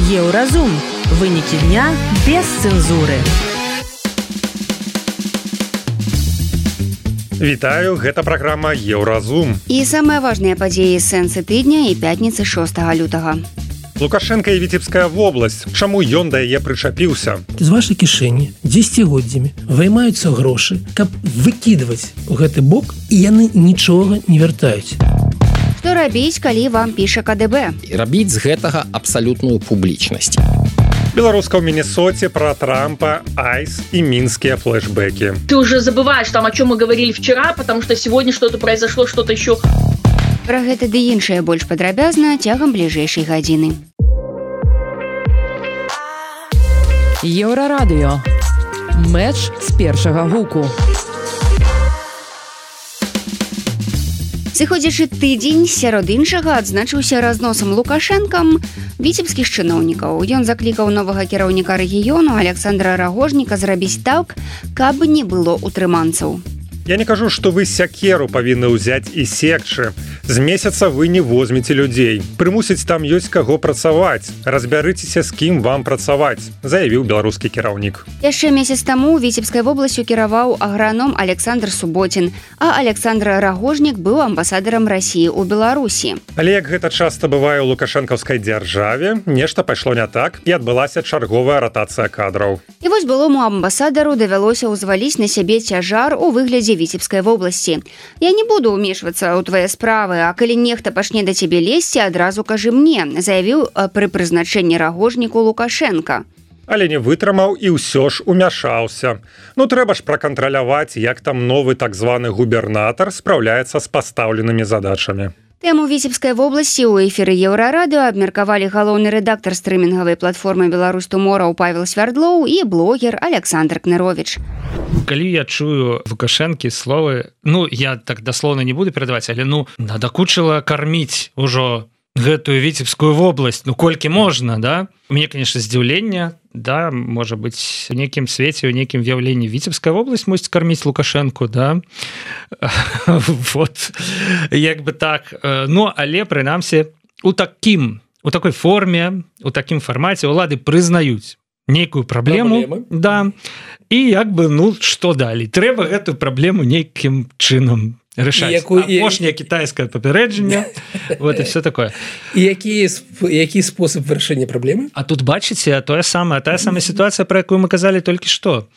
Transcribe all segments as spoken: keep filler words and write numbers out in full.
Еўразум. Вынікі дня без цэнзуры. Вітаю, гэта праграма Еўразум. І самыя важныя падзеі сэнсы тыдня і пятніцы шостага лютага. Лукашенка і Віцебская вобласць. Чаму ён да яе прычапіўся? З вашай кішэні дзесяцігоддзямі ваймаюцца грошы, каб выкідваць у гэты бок, і яны нічога не вяртаюць. Што рабіць, калі вам піша ка дэ бэ? Рабіць з гэтага абсалютную публічнасць. Беларуска ў Міннесоце про Трампа, айс и минские флешбеки. Ты уже забываешь, там, о чем мы говорили вчера, потому что сегодня что-то произошло, что-то еще. Пра гэта ды іншае больш падрабязна цягам бліжэйшай гадзіны. Еўрарадыё. Мэч з першага гуку. Сыходзячы тыдзень сярод іншага адзначыўся разносам Лукашэнкам віцебскіх чыноўнікаў. Ён заклікаў новага кіраўніка рэгіёну Александра Рагожніка зрабіць так, каб не было утрыманцаў. Я не кажу, што вы сякеру павінны ўзяць і секчы. З месяца вы не возьмеце людзей. Прымусіць там ёсць каго працаваць. Разбярыцеся, з кім вам працаваць, заявіў беларускі кіраўнік. Яшчэ месяц таму Віцебскай вобласцю кіраваў аграном Александр Суботін, а Александр Рагожнік быў амбасадарам Расіі ў Беларусі. Але як гэта часта бывае ў лукашэнкаўскай дзяржаве, нешта пайшло не так і адбылася чарговая ратацыя кадраў. І вось былому амбасадару давялося ўзваліць на сябе цяжар у выглядзе Віцебскай вобласці. Я не буду ўмешвацца ў твае справы, а калі нехта пачне да цябе лезці, адразу кажы мне, заявіў пры прызначэнні Рагожніку Лукашенка. Але не вытрымаў і ўсё ж умяшаўся. Ну трэба ж пракантраляваць, як там новы так званы губернатар спраўляецца з пастаўленымі задачамі. Тэму Віцебскай вобласці ў эфіры Еўрарадыё абмеркавалі галоўны рэдактар стрымінгавай платформы «Беларусь Тумораў» Павел Свярдлоў і блогер Александр Кныровіч. Калі я чую Лукашэнкі словы, ну я так даслоўна не буду перадаваць, але ну надакучыла карміць ужо гэтую Віцебскую вобласць, ну колькі можна, да? У мяне, конечно, здзіўленне, да, можа быць, у нейкім свеце, у нейкім з'яўленні Віцебская вобласць мусіць карміць Лукашэнку, да? Вот, як бы так. Ну, але, прынамсі, у такім, у такой форме, у такім фармаце улады прызнаюць нейкую праблему, Праблемы. Да, і як бы, ну, што далей? Трэба гэтую праблему нейкім чынам рашаць. Апошняе кітайскае папярэджанне, вот і все такое. І які, які спосаб вырашэння праблемы? А тут бачыце, тое самае, тая самая сітуацыя, пра якую мы казалі толькі што.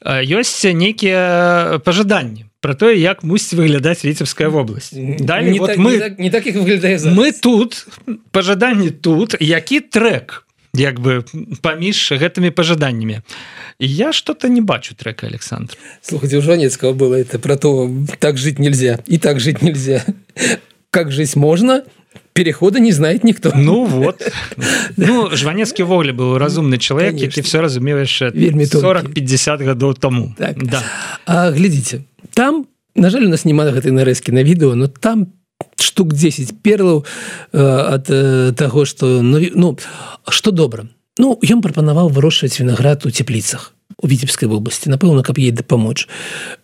Ёсць нейкія пажаданні про тое, як мусіць выглядаць Віцебская вобласць. Далей, не, вот так, мы, не, так, не так, як выглядае зараз. Мы тут, пажаданні тут, які трэк, як бы, паміж гэтымі пажаданнямі. Я что-то не бачу трека, Александр. Слушайте, у Жванецкого было это про то, так жить нельзя, и так жить нельзя. Как жить можно, перехода не знает никто. Ну вот. Ну, Жванецкий вовле был разумный человек, и ты все разумеешь сорок-пятьдесят годов тому. Так. Да. А глядите, там, на жаль, у нас нема гэтай нарэзкі на відэо, но там штук десять перлаў э, ад э, таго, што, ну, ну, што добра. Ну, ён прапанаваў вырошчваць вінаград у цепліцах у Віцебскай вобласці, напэўна, каб ей дапамочь.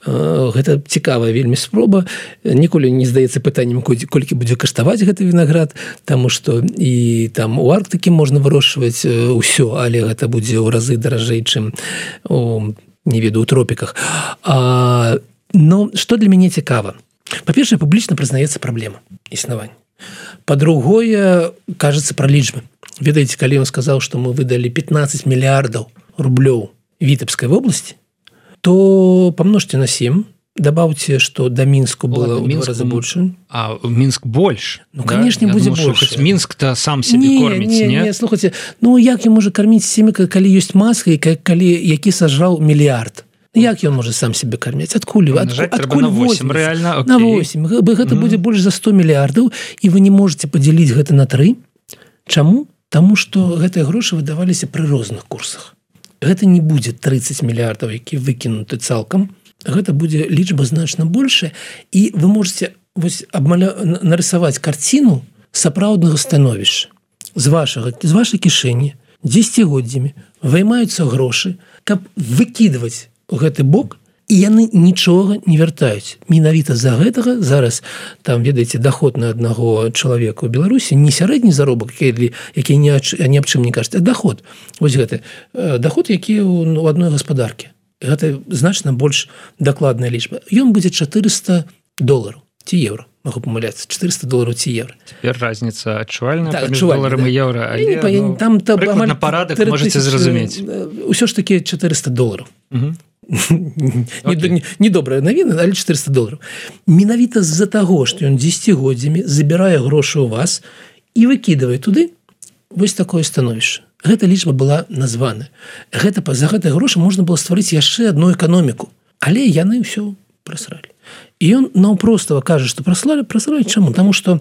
Гэта цікавая вельмі спроба. Ніколі не здаецца пытаннем, колькі будзе каштаваць гэты вінаград, таму што і там у Арктыкі можна вырошчваць усё, але гэта будзе ў разы даражэй, чым у, не ведаю, у тропіках. А, но што для мяне цікава? Па-першае, публічна прызнаецца праблема існавання. Па-другое, кажется пра лічбы. Ведаеце, калі ён сказаў, што мы выдалі пятнадцать мільярдаў рублёў Віцебскай вобласці, то помножьте на семь, добавьте, что до Минску было в два раза больше. А Минск больше? Ну, да? Конечно, Я будет думаю, больше. Хоть Минск-то сам себе не, кормить, не? Не, не, слухайте, ну як ён можа кормить семя, калі ёсць маска, і калі, які сажрал мільярд? Як ён можа сам себе кормить? Откуль? От, откуль на восемь, реально? На восемь. Гэта mm. будзе больш за сто мільярдаў, і вы не можете подзяліць гэта на тры. Чаму? Таму што гэтыя грошы выдаваліся пры розных курсах. Гэта не будзе тридцать мільярдаў, які выкінуты цалкам. Гэта будзе лічба значна большая, і вы можете вось абмаля... нарисаваць карціну сапраўднага становішча. З вашага, з вашай кішэні дзесяцігоддзямі ваймаюцца грошы, каб выкідваць у гэты бок, і яны нічога не вяртаюць. Менавіта з-за гэтага зараз там, ведаеце, доход на аднаго чалавека ў Беларусі не сярэдні заробак, які, які ні, ні аб чым не кажуць, а доход. Вось гэты доход, які у адной гаспадаркі. Гэта значна больш дакладная лічба. Ён будзе чатырыста долараў ці еўра. Могу памыляцца, чатырыста долараў ці еўра. Цяпер разница адчувальная так, паміж доларам і еўра, але па, ну, там прыкладна парадак можаце зразумець. Усё ж такі чатырыста долараў. Угу. Недобрая навіна, але чатырыста долараў. Менавіта з-за таго, што ён дзесяцігоддзямі забірае грошы ў вас і выкідывае туды вось такое становішча. Гэта лічба была названа. Гэта, за гэтыя грошы можна было стварыць яшчэ адну эканоміку. Але яны ўсё прасралі. І ён наўпростава кажа, што праслалі, прасралі чаму? Таму што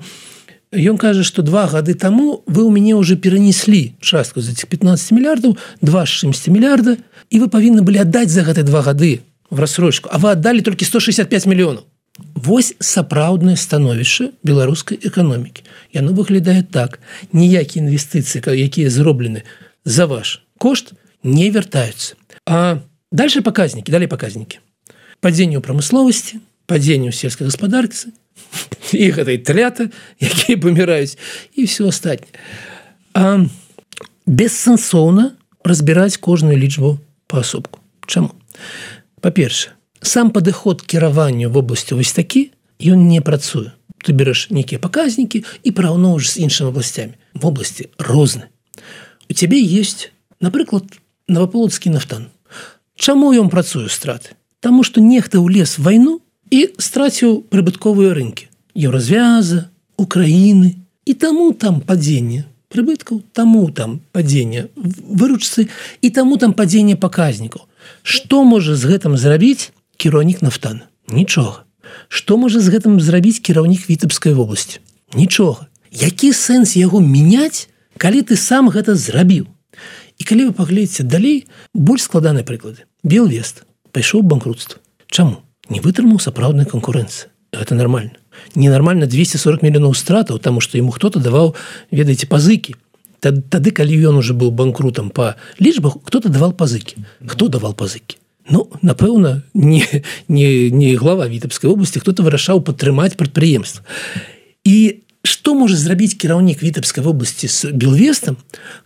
ён кажа, што два гады таму вы ў мяне ўжо перанеслі частку з этих пятнадцать мільярдаў, два з чымсьці мільярда, і вы павінны былі аддаць за гэтыя два гады в рассрочку, а вы аддалі толькі сто шестьдесят пять мільёнаў. Вось сапраўднае становішча беларускай эканомікі. Яно выглядае так. Ніякія інвестыцыі, якія зроблены за ваш кошт, не вяртаюцца. А дальше паказнікі, далей паказнікі. Падзенне ў прамысловасці, падзенне ў сельскай гаспадарцы, і гэтай тлята, якія паміраюць, і ўсё астатняе. А бессэнсоўна разбіраць кожную лічбу паасобку. Чаму? Па-першае, сам падыход кіравання в обласці вось такі, ён не працуе. Ты бераш нейкія паказнікі і параўноўваеш з іншымі обласцямі. В обласці розныя. У цябе есть, напрыклад, Новаполацкі нафтан. Чаму ён працуе страты? Таму што нехта ўлез в вайну і страціў прыбытковыя рынкі. Еўразвяза, Украіны. І таму там падзенне прыбыткаў, таму там падзенне выручцы і таму там падзенне паказнікаў. Што можа з гэтым зрабіць кіраўнік нафтана? Нічога. Што можа з гэтым зрабіць кіраўнік Віцебскай вобласці? Нічога. Які сэнс яго мяняць, калі ты сам гэта зрабіў? І калі вы паглядзіце далей, больш складаныя прыклады. Белвест пайшоў у банкрутства. Чаму? Не вытрымаў сапраўднай канкурэнцыі. Гэта нармальна. Ненармальна двести сорок мільёнаў стратаў, таму што яму хто-то даваў, ведаеце, пазыкі. Тады, калі ён уже быў банкрутам па лічбах, хто-то давал пазыкі. Хто давал пазыкі? Ну, напэўна, не, не, не глава Віцебскай вобласці, хто-то вырашаў падтрымаць прадпрыемства. І што можа зрабіць кіраўнік Віцебскай вобласці з Белвестам,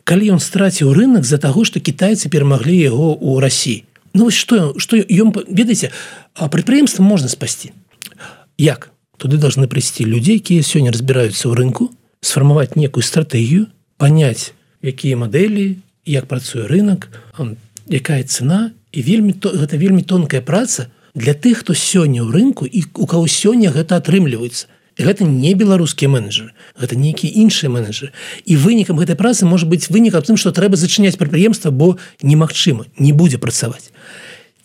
калі ён страціў рынок з-за таго, што кітайцы перамаглі яго ў Расіі? Ну, вось што, што ён, ведаеце, прадпрыемства можна спасці. Як? Туды должны прыйсці людзі, якія сёння разбіраюцца ў рынку, сфармаваць некую стратэгію, паняць, якія мадэлі, як працуе рынок, якая цена, і вельмі, гэта вельмі тонкая праца для тых, хто сёння ў рынку і у каго сёння гэта атрымліваецца. І гэта не беларускія менеджеры, гэта нейкія іншыя менеджеры. І вынікам гэтай працы можа быць вынік аб тым, што трэба зачыняць прадпрыемства, бо немагчыма, не будзе працаваць.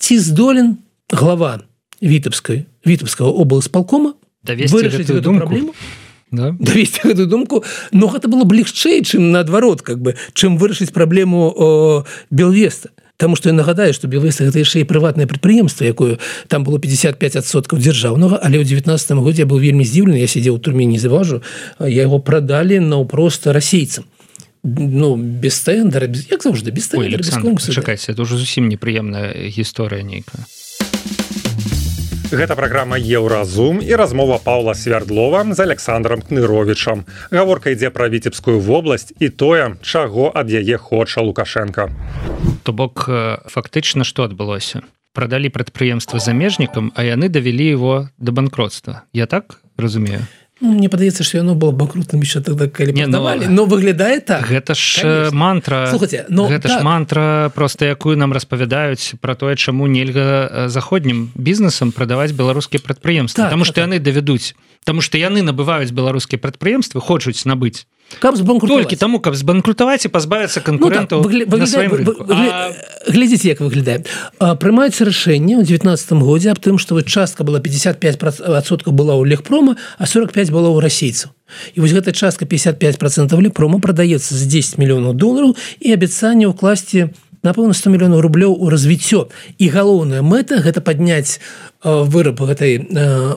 Ці здолен глава Віцебскай, Віцебскага облсполкома вырашыць гэту праблему? Да. Давесці гэтую думку, но гэта было б легчэй, чым наадварот, как бы, чым вырашыць праблему о, Белвеста. Таму што я нагадаю, што Белвест гэта яшчэ і прыватнае прадпрыемства, якое там было пятьдесят пять адсоткаў дзяржаўнага, але ў девятнадцатым годзе я быў вельмі здзіўлены, я сидзеў у турме, не заважу, яго прадалі наўпрост расейцам. Ну, без тэндара, без... як заўжды, без тэндара, без конкурсу. Чакайце, это ўжо зусім непрыемная гісторыя нейкая. Гэта праграма Еўразум і размова Паўла Свярдлова з Александром Кныровічам. Гаворка ідзе пра Віцебскую вобласць і тое, чаго ад яе хоча Лукашенко. То бок, фактычна, што адбылося? Прадалі прадпрыемства замежнікам, а яны давялі его да банкротства. Я так разумею? Ну, мне падаецца, што яно было банкрутным яшчэ тогда, калі прадавалі, но выглядае так. Гэта ж конечно. Мантра. Слухайте, но гэта так. ж мантра, проста якую нам распавядаюць пра тое, чаму нельга заходнім бізнесам прадаваць беларускія прадпрыемствы. Так, Таму што так. яны давядуць. Таму што яны набываюць беларускія прадпрыемствы, хочуць набыць. Каб збанкрутаваць. Толькі таму, каб збанкрутаваць і пазбавіцца канкурэнтаў ну, так, на сваім рынку. А... Глядзіце, як выглядае. Прымаюцца рашэнне ў девятнадцатым годзе аб тым, што частка была пятьдесят пять адсоткаў была ў Легпрома, а сорок пять было ў расейцаў. І вось гэтая частка пятьдесят пять процентов Легпрома прадаецца за десять мільёнаў долараў і абяцанне ўкласці напэўна сто мільёнаў рублёў у развіццё. І галоўная мэта гэта падняць выраб гэтай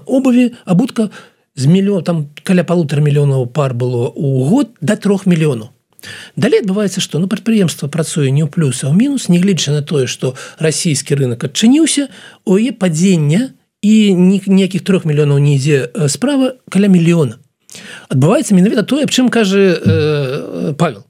обуві, абутка з мільён, там каля полутора мільёнаў пар было ў год да трох мільёнаў. Далей адбываецца што ну прадпрыемства працуе не ў плюс а ў мінус, нягледзячы на тое што расійскі рынок адчыніўся, у яе падзення і ніякіх трох мільёнаў не ідзе справа каля мільёна. Адбываецца менавіта тое, аб чым кажа э, Павел.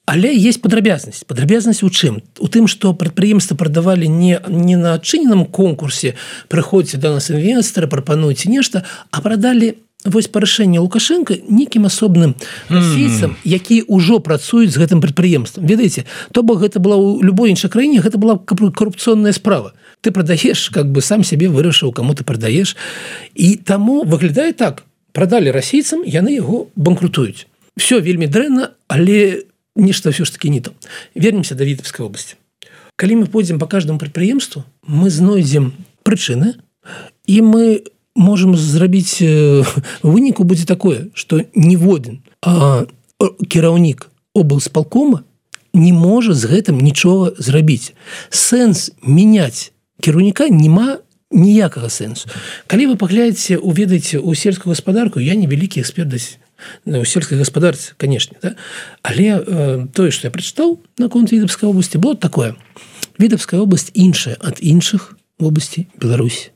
Але есть падрабязнасць. Падрабязнасць у чым? У тым, што прадпрыемствы прадавалі не, не на адчыненым конкурсе, прыходзьце да нас інвестары, прапануйце нешта, а прадалі вось па рашэнні Лукашенко нейкім асобным расейцам, якія ўжо працуюць з гэтым прадпрыемствам. Ведаеце, то бок гэта была ў любой іншай краіне, гэта была карупцыйная справа. Ты прадаеш, как бы сам сябе вырашыў, каму ты прадаеш. І таму выглядае так. Прадалі расейцам, яны яго банкрутуюць. Всё вельмі дрэнна, але нешта ўсё ж такі не то. Вернемся да Вітебскай вобласці. Калі мы пойдзем па каждаму прадпрыемству, мы знойдзем прычыны, і мы можем зрабіць выніку будзе такое, што ніводзін кіраўнік облсполкома не можа з гэтым нічога зрабіць. Сэнс мяняць кіраўніка няма ніякага сэнсу. Калі вы паглядзеце, уведаеце ў сельскую гаспадарку, я не вялікі эксперт у сельскай гаспадарцы, канешне, да? Але э, тое, што я прачытаў наконт Вітебскай вобласці, было такое. Вітебская вобласць іншая ад іншых вобласцей Беларусі.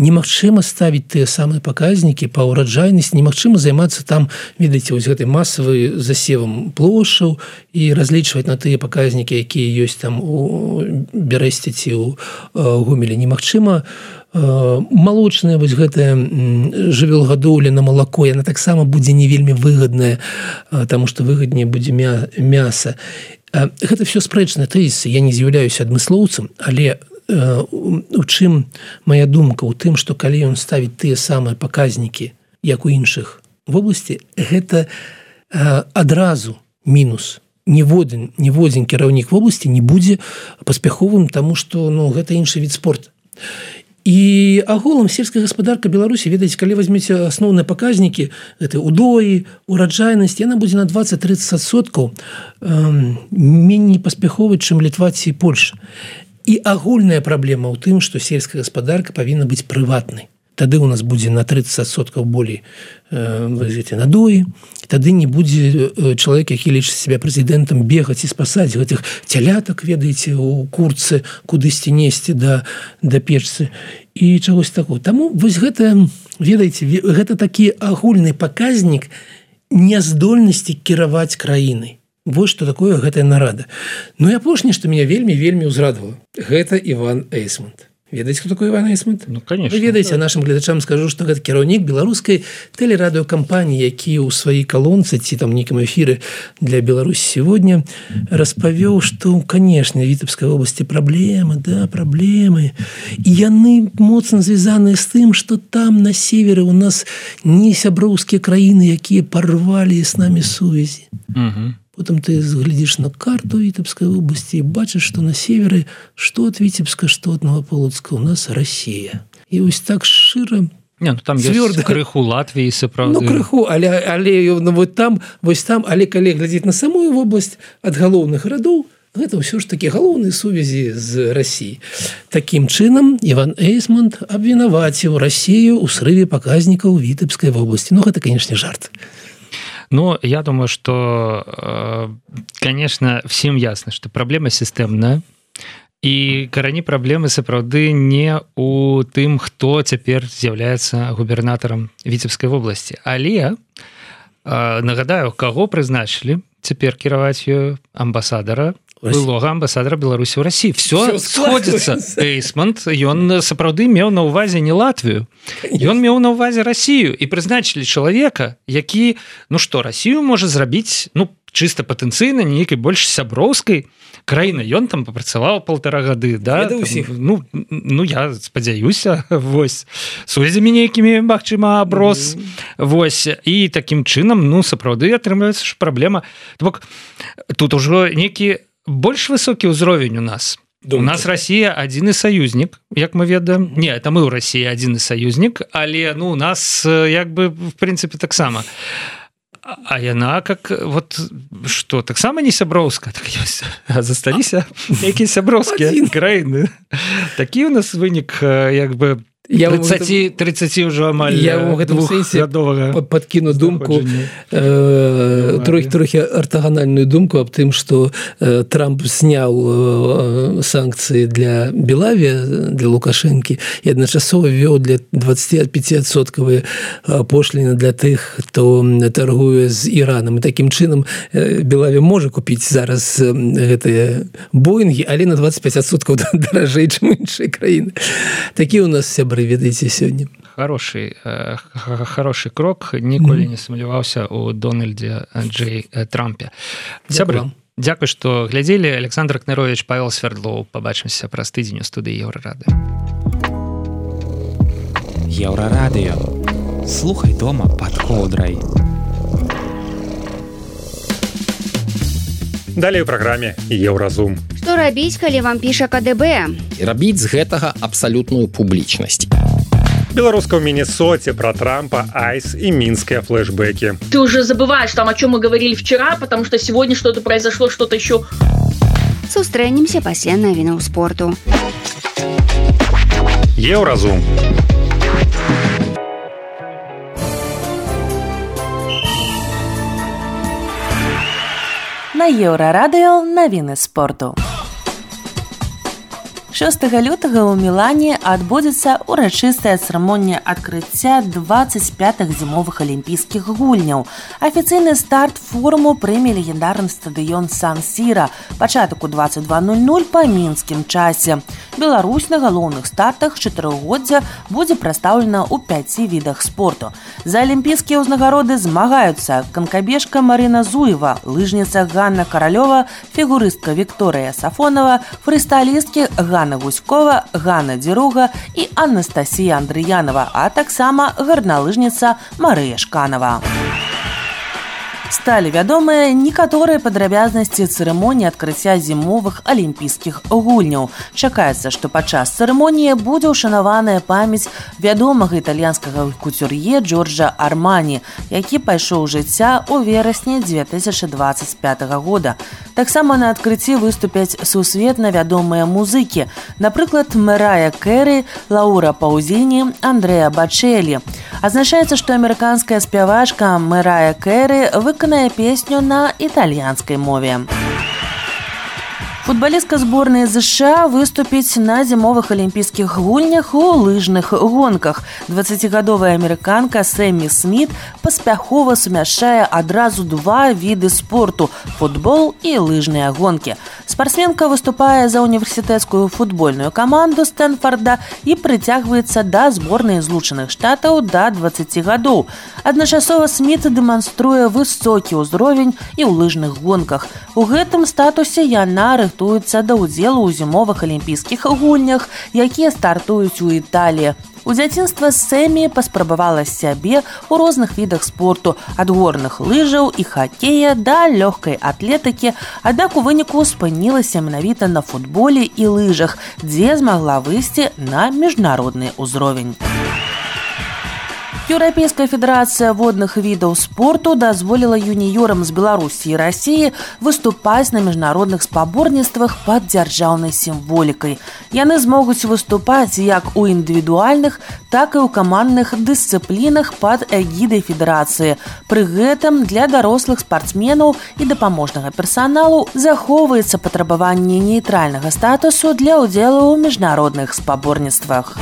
Немагчыма ставіць тыя самыя паказнікі па ўраджайнасці, немагчыма займацца там, ведаеце, вось гэтай масавай засевам плошчаў і разлічваць на тыя паказнікі, якія ёсць там у Бярэсце ці ў Гомелі. Немагчыма малочная вось гэтая жывёлагадоўля на малако, яна таксама будзе не вельмі выгадная, таму што выгадней будзе мяса. Гэта все спрэчныя тэзісы. Я не з'яўляюся адмыслоўцам, але у чым моя думка у тым, што калі ён ставіць тыя самыя паказнікі, як у іншых вобласці, гэта адразу мінус. Ніводзін, ніводзін кіраўнік вобласці не будзе паспяховым, таму што ну, гэта іншы від спорта. І агулам сельская гаспадарка Беларусі, ведаеце, калі возьмеце асноўныя паказнікі, гэта удоі, ураджайнасць, яна будзе на двадцать-тридцать адсоткаў меней паспяховай, чым Літва ці Польша. І агульная праблема ў тым, што сельская гаспадарка павінна быць прыватнай. Тады ў нас будзе на тридцать адсоткаў болей э, надоі, тады не будзе чалавек, які лічыць себя прэзідэнтам, бегаць і спасаць гэтых цялятак, ведаеце, у курцы, кудысьці несці да, да печцы і чагось такого. Таму вось гэта, ведаеце, гэта такі агульны паказнік няздольнасці кіраваць краінай. Вось што такое гэтая нарада. Ну і апошняе, што мяне вельмі-вельмі ўзрадавала, гэта Іван Эйсмонт. Ведаеце, хто такой Іван Эйсмонт? Ну, конечно. Вы ведаеце, да. Нашым гледачам скажу, што гэта кіраўнік беларускай тэлерадыёкампаніі, які ў сваёй калонцы ці там нейкім эфіры для Беларусі сегодня распавёў, што, канешне, Вітебскай вобласці праблемы, да, праблемы. І яны моцна звязаныя з тым, што там на севере у нас не сяброўскія краіны, якія парвалі з намі сувязі. Угу. Потом ты глядишь на карту Витебской области и бачишь, что на севере, что от Витебска, что от Новополоцка, у нас Россия. И вот так широ... Не, ну там цвёрда. Есть крыху Латвии, сапраўды. Ну, крыху, але, але ну, вот там, вот там, але калі глядзець на самую область от галоўных гарадоў, гэта ўсё ж такі галоўныя сувязі з Россией. Таким чынам Іван Эйсмонт абвінаваціў Россию ў срыве паказнікаў Витебской области. Ну, гэта, конечно, жарт. Ну, я думаю, что, конечно, всем ясно, что проблема системная, і карані праблемы сапраўды не у тым, хто цяпер з'яўляецца губернатарам Віцебскай вобласці. Але, нагадаю, каго прызначылі цяпер кіраваць ёю амбасадара, былога амбасадара Беларусі ў Расіі. Все сходзіцца. Эйсмонт, ён сапраўды меў на ўвазе не Латвію. Ён меў на ўвазе Расію. І прызначылі чалавека, які, ну што, Расію можа зрабіць, ну, чыста патэнцыйна, нейкай больш сяброўскай краіны. Ён там папрацаваў полтора гады, да? Там, ну, ну, я спадзяюся, вось, сувязямі нейкімі, магчыма, аброс. Mm-hmm. Вось, і такім чынам, ну, сапраўды атрымліваецца ж праблема. Бок, тут ужо нейкі больш высокі ўзровень у нас. Думаю. У нас Россия адзіны саюзнік, як мы ведаем. Не, это мы ў России адзіны саюзнік, але ну у нас як бы в прынцыпе таксама. А яна как вот что, таксама не сяброўска, так ёсць. А засталіся якія сяброўскія краіны. Такі у нас вынік як бы тридцать тридцать ўжо амаль я ў гэтым сэнсе падкіну думку э, трохі трохі артаганальную думку аб тым, што э, Трамп сняў э, санкцыі для Белаві, для Лукашэнкі і адначасова вёў для двадцать пять адсоткавыя пошліны для тых, хто торгуе з Іранам. І такім чынам э, Белаві можа купіць зараз э, гэтыя Боінгі, але на двадцать пять адсоткаў даражэй, чым іншыя краіны. Такі у нас сябры, ведаеце, сёння. Хороший, э, хороший крок. Ніколі не сумняваўся у Дональдзе Джей Трампе. Сябры, дзякуй, што глядзелі. Александр Кнырович, Павел Свердлоў. Пабачымся праз тыдзень у студыі Еўрарадыё. Еўрарадыё. Слухай дома пад коўдрай. Далей у праграме Еўразум. Што рабіць, калі вам піша ка дэ бэ? Рабіць з гэтага абсалютную публічнасць. Беларуска в Миннесоте про Трампа, айс и минские флешбеки. Ты уже забываешь там, о чем мы говорили вчера, потому что сегодня что-то произошло, что-то еще. Сустрэнемся пасля навінаў спорту. Еўразум. На Еўрарадыё навіны спорту. шостага лютага ў Мілане адбудзецца урачыстая цырымонія адкрыцця двадцать пятых зімовых алімпійскіх гульняў. Афіцыйны старт форуму прыме легендарны стадыён Сан-Сіра, пачатак у двадцать два ноль ноль па мінскім часе. Беларусь на галоўных стартах чатырохгоддзя будзе прадстаўлена ў пяці відах спорту. За алімпійскія ўзнагароды змагаюцца канкабежка Марына Зуева, лыжніца Ганна Каралёва, фігурыстка Вікторыя Сафонова, фрыстайлісткі Ганна Гуськова, Ганна Дзіруга і Анастасія Андрыянова, а таксама гарналыжніца Марыя Шканова. Сталі вядомыя некаторыя падрабязнасці цырымоніі адкрыцця зімовых алімпійскіх гульняў. Чакаецца, што падчас цырымоніі будзе ўшанаваная памяць вядомага італьянскага куцюр'е Джорджа Армані, які пайшоў жыцця ў верасні две тысячы двадцать пятага года. Таксама на адкрыцці выступяць сусветна вядомыя музыкі, напрыклад, Мэрая Кэры, Лаура Паузіні, Андрэа Бачэлі. Азначаецца, што амерыканская спявачка Мэрая Кэры выканае песню на італьянскай мове. Футбалістка зборнай ЗША выступіць на зімовых алімпійскіх гульнях у лыжных гонках. дваццацігадовая амерыканка Сэмі Сміт паспяхова сумяшчае адразу два віды спорту – футбол і лыжныя гонкі. Спартсменка выступае за універсітэцкую футбольную каманду Стэнфорда і прыцягваецца да зборнай Злучаных Штатаў да дваццаці гадоў. Адначасова Сміт дэманструе высокі ўзровень і ў лыжных гонках. У гэтым статусе яна рыхтуецца да ўдзелу ў зімовых алімпійскіх гульнях, якія стартуюць у Італіі. У дзяцінства Сэмі паспрабавала сябе ў розных відах спорту, ад горных лыжаў і хакея да лёгкай атлетыкі, аднак у выніку спынілася менавіта на футболе і лыжах, дзе змагла выйсці на міжнародны ўзровень. Еўрапейская федэрацыя водных відаў спорту дазволіла юніёрам з Беларусі і Расіі выступаць на міжнародных спаборніцтвах пад дзяржаўнай сімволікай. Яны змогуць выступаць як у індывідуальных, так і ў камандных дысцыплінах пад эгідай федэрацыі. Пры гэтым для дарослых спартсменаў і дапаможнага персаналу захоўваецца патрабаванне нейтральнага статусу для ўдзелу ў міжнародных спаборніцтвах.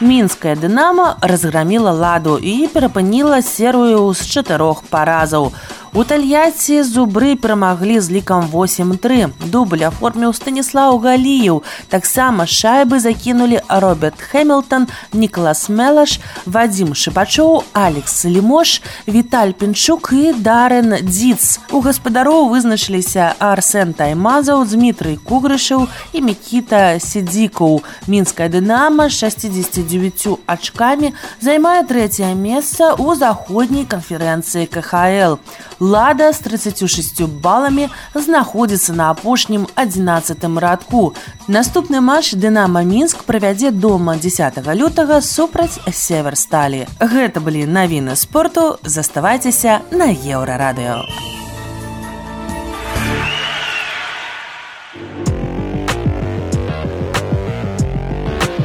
Мінская «Дынамо» разгромила «Ладу» і перапыніла серыю з чатырох паразаў. У Тольятти зубры перамаглі з лікам восемь тры. Дубль аформіў Станіслаў Галіеў. Таксама шайбы закінулі Роберт Хэмілтон, Нікалас Мелаш, Вадзім Шыпачоў, Алекс Лімош, Віталь Пінчук і Дарен Дзіц. У гаспадароў вызначыліся Арсен Таймазаў, Дмітрый Кугрышаў і Мікіта Сідзікаў. Мінская «Дынамо» з шестьдесят девятью ачкамі займае трэцяе месца ў заходняй канферэнцыі ка ха эл. «Лада» з тридцатью шестью баламі знаходзіцца на апошнім адзінаццатым радку. Наступны матч «Дынамо» Мінск правядзе дома дзесятага лютага супраць «Северсталі». Гэта былі навіны спорту. Заставайцеся на Еўрарадыё.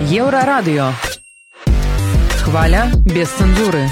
Еўрарадыё. Хваля без цэнзуры.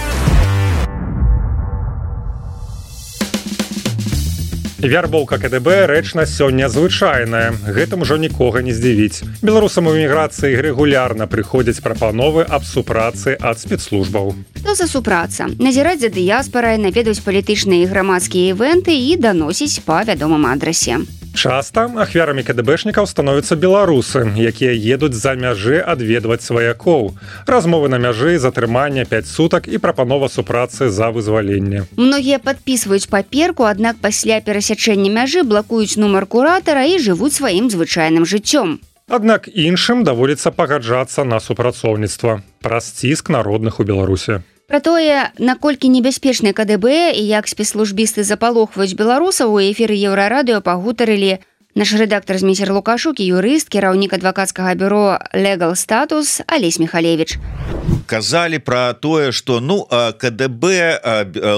Вярбоўка КДБ рэч на сёння звычайная. Гэтым ужо нікога не здзівіць. Беларусам у эміграцыі рэгулярна прыходзяць прапановы аб супрацы ад спецслужбаў. Што за супраца? Назіраць за дыяспарай, наведваць палітычныя і грамадскія івэнты і даносіць па вядомым адрасе. Часта ахвярамі КДБшнікаў становяцца беларусы, якія едуць за мяжы адведваць сваякоў. Размовы на мяжы, затрымання пяць сутак і прапанова супрацы за вызваленне. Многія падпісваюць паперку, аднак пасля перасячэння мяжы блакуюць нумар куратара і жывуць сваім звычайным жыццём. Аднак іншым даводзіцца пагаджацца на супрацоўніцтва праз ціск народных у Беларусі. Пра тое, наколькі небяспечны КДБ і як спецслужбісты запалохваюць беларусаў, у эфіры Еўрарадыё пагутарылі наш рэдактар Змейсер Лукашук і юрыст, кіраўнік адвакацкага бюро Legal Status Алесь Михалевич. Казалі пра тое, што ну КДБ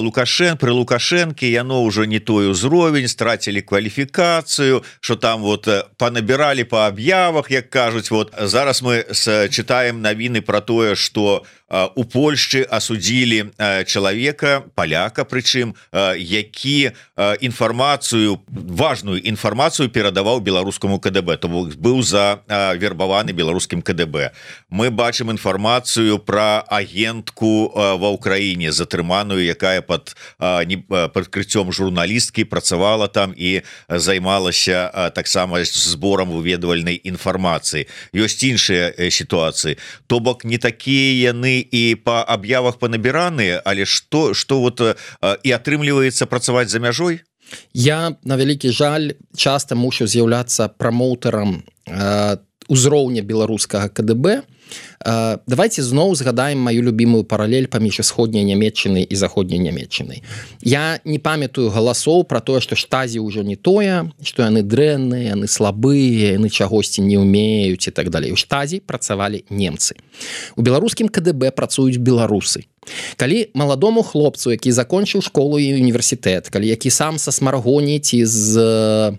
Лукашен пры Лукашэнкі яно ўжо не той узровень, страцілі кваліфікацыю, што там вот панабіралі па аб'явах, як кажуць. Вот зараз мы чытаем навіны пра тое, што у Польшчы асудзілі чалавека, паляка прычым, які інфармацыю, важную інфармацыю перадаваў беларускаму КДБ, то быў завербаваны беларускім КДБ. Мы бачым інфармацыю пра агентку ва ўкраіне, затрыманую, якая пад прыкрыццём журналісткі працавала там і займалася таксама зборам выведвальнай інфармацыі. Ёсць іншыя сітуацыі. То бок не такія яны і па аб'явах панабіраныя, але што, што вот і атрымліваецца працаваць за мяжой? Я, на вялікі жаль, часта мушу з'яўляцца прамоўтарам э, узроўня беларускага КДБ. Uh, давайте зноў згадаем маю любимую паралель паміж усходняй Нямецчынай і заходняй Нямецчынай. Я не памятаю галасоў пра тое, што штазі ўжо не тое, што яны дрэнныя, яны слабыя, яны чагосьці не ўмеюць і так далей. У штазі працавалі немцы. У беларускім КДБ працуюць беларусы. Калі маладому хлопцу, які закончыў школу і універсітэт, калі які сам са Смаргоні ці з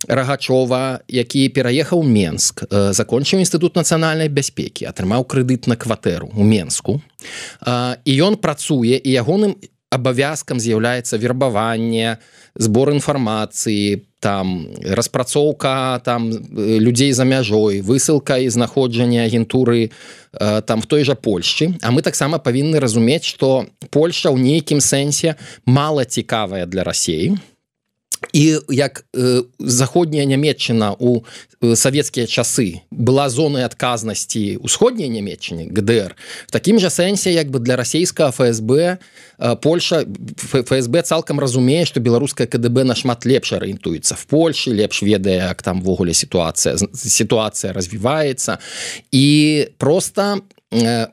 Рагачова, які пераехаў у Менск, закончыў інстытут нацыянальнай бяспекі, атрымаў крэдыт на кватэру ў Менску, і ён працуе, і ягоным абавязкам з'яўляецца вербаванне, збор інфармацыі, там распрацоўка там людзей за мяжой, высылка і знаходжанне агентуры э, там в той жа Польшчы. А мы таксама павінны разумець, што Польшча ў нейкім сэнсе мала цікавая для Расіі. І як э, заходняя Нямецчына у э, савецкія часы была зонай адказнасці усходняй Нямецчыны, ГДР, в такім жа сэнсе як бы для расійскага ФСБ э, Польша, ФСБ цалкам разумее, што беларуская КДБ нашмат лепш арыентуецца в Польшы, лепш ведае, як там ввогуле сітуацыя, сітуацыя развіваецца. І проста э,